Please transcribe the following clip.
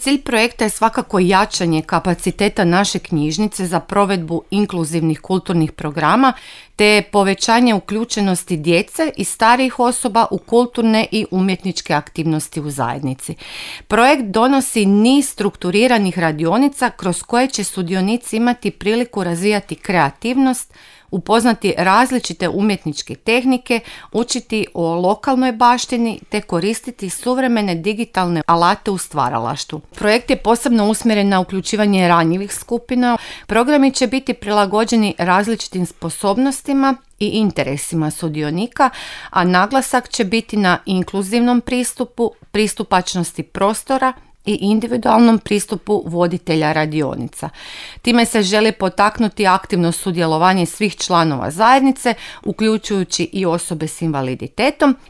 Cilj projekta je svakako jačanje kapaciteta naše knjižnice za provedbu inkluzivnih kulturnih programa te povećanje uključenosti djece i starijih osoba u kulturne i umjetničke aktivnosti u zajednici. Projekt donosi niz strukturiranih radionica kroz koje će sudionici imati priliku razvijati kreativnost, upoznati različite umjetničke tehnike, učiti o lokalnoj baštini te koristiti suvremene digitalne alate u stvaralaštvu. Projekt je posebno usmjeren na uključivanje ranjivih skupina. Programi će biti prilagođeni različitim sposobnostima i interesima sudionika, a naglasak će biti na inkluzivnom pristupu, pristupačnosti prostora i individualnom pristupu voditelja radionica. Time se želi potaknuti aktivno sudjelovanje svih članova zajednice, uključujući i osobe s invaliditetom,